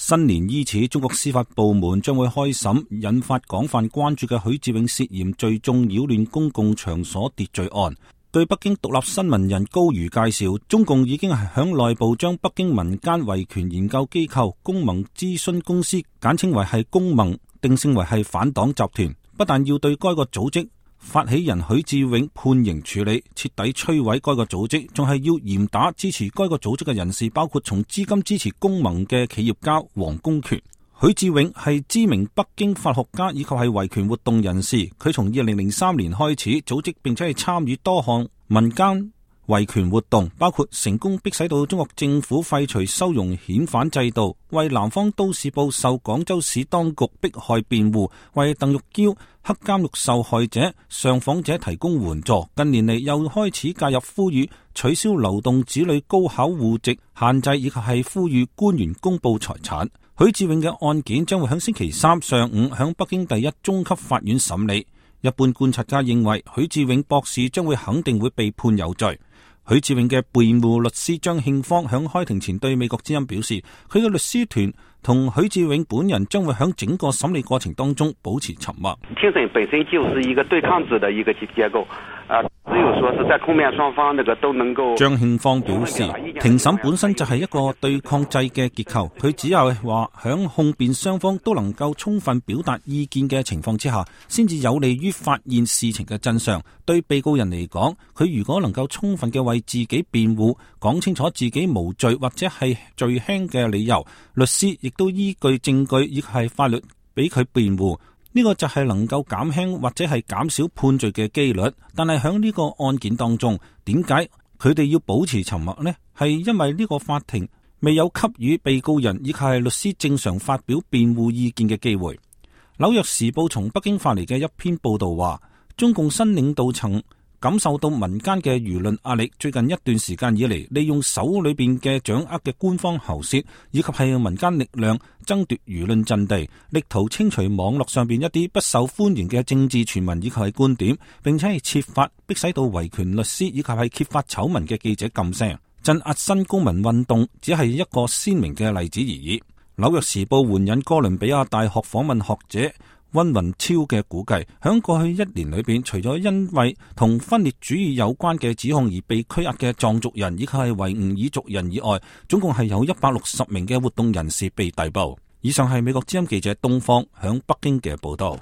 新年伊始，中國司法部門將會開審引發廣泛關注嘅許志永涉嫌聚眾擾亂公共場所秩序案。據北京獨立新聞人高瑜介紹，中共已經係響內部將北京民間維權研究機構公盟諮詢公司，簡稱為係公盟，定性為係反黨集團，不但要對該個組織發起人許志永判刑處理，徹底摧毀該個組織，仲係要嚴打支持該個組織嘅人士，包括從資金支持公盟嘅企業家王功權。許志永係知名北京法學家以及係維權活動人士，佢從2003年開始組織並且係參與多項民間維權活動，包括成功迫使到中國政府廢除收容遣返制度，為南方都市報受廣州市當局迫害辯護，為鄧玉嬌黑監獄受害者、上訪者提供援助。近年嚟又開始介入呼籲取消流動子女高考戶籍限制，以及係呼籲官員公布財產。許志永嘅案件將會喺星期三上午喺北京第一中級法院審理。一般觀察家認為，許志永博士將會肯定會被判有罪。許志永嘅辯護律師張慶芳響開庭前對美國之音表示，佢嘅律師團同許志永本人將會響整個審理過程當中保持沉默。庭審本身就是一個對抗制的一個結構，只有說是在控辯雙方都能夠。張慶芳表示，庭審本身就係一個對抗制嘅結構，佢只有話響控辯雙方都能夠充分表達意見嘅情況之下，先至有利於發現事情嘅真相。對被告人嚟講，佢如果能夠充分嘅為自己辯護，講清楚自己無罪或者係罪輕嘅理由，律師亦都依據證據亦係法律俾佢辯護，呢個就係能夠減輕或者係減少判罪嘅機率。但係喺呢個案件當中，點解佢哋要保持沉默呢？係因為呢個法庭未有給予被告人亦係律師正常發表辯護意見嘅機會。紐約時報從北京發嚟嘅一篇報道話，中共新領導層感受到民間嘅輿論壓力，最近一段時間以嚟，利用手裏邊嘅掌握嘅官方喉舌以及係民間力量爭奪輿論陣地，力圖清除網絡上邊一啲不受歡迎嘅政治傳聞以及係觀點，並且係設法迫使到維權律師以及係揭發醜聞嘅記者噤聲。鎮壓新公民運動只係一個鮮明嘅例子而已。紐約時報援引哥倫比亞大學訪問學者溫雲超嘅估計，響過去一年裏邊，除咗因為同分裂主義有關嘅指控而被拘押嘅藏族人以及係維吾爾族人以外，總共係有160名嘅活動人士被逮捕。以上係美國之音記者東方響北京嘅報道。